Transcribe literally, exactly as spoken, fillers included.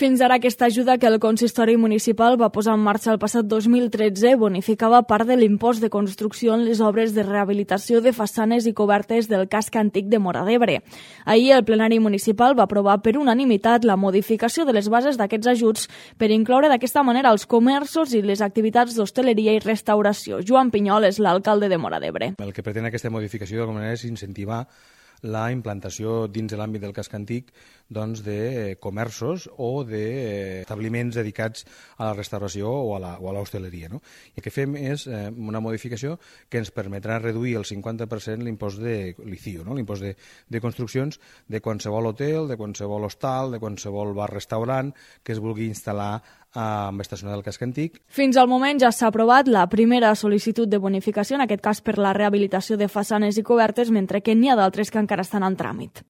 Fins ara, aquesta ajuda que el consistori municipal va posar en marxa el passat dos mil tretze bonificava part de l'impost de construcció en les obres de rehabilitació de façanes i cobertes del casc antic de Móra d'Ebre. Ahir el plenari municipal va aprovar per unanimitat la modificació de les bases d'aquests ajuts per incloure d'aquesta manera els comerços i les activitats d'hostaleria i restauració. Joan Pinyol és l'alcalde de Móra d'Ebre. El que pretén aquesta modificació d'alguna manera és incentivar la implantació dins de l'àmbit del casc antic doncs, de comerços o d'establiments dedicats a la restauració o a l'hostaleria. No? I el que fem és eh, una modificació que ens permetrà reduir el cinquanta per cent l'impost de l'I C I O, no? l'impost de, de construccions de qualsevol hotel, de qualsevol hostal, de qualsevol bar-restaurant que es vulgui instal·lar amb estacionar del casc antic. Fins al moment ja s'ha aprovat la primera sol·licitud de bonificació, en aquest cas per la rehabilitació de façanes i cobertes, mentre que n'hi ha d'altres que encara estan en tràmit.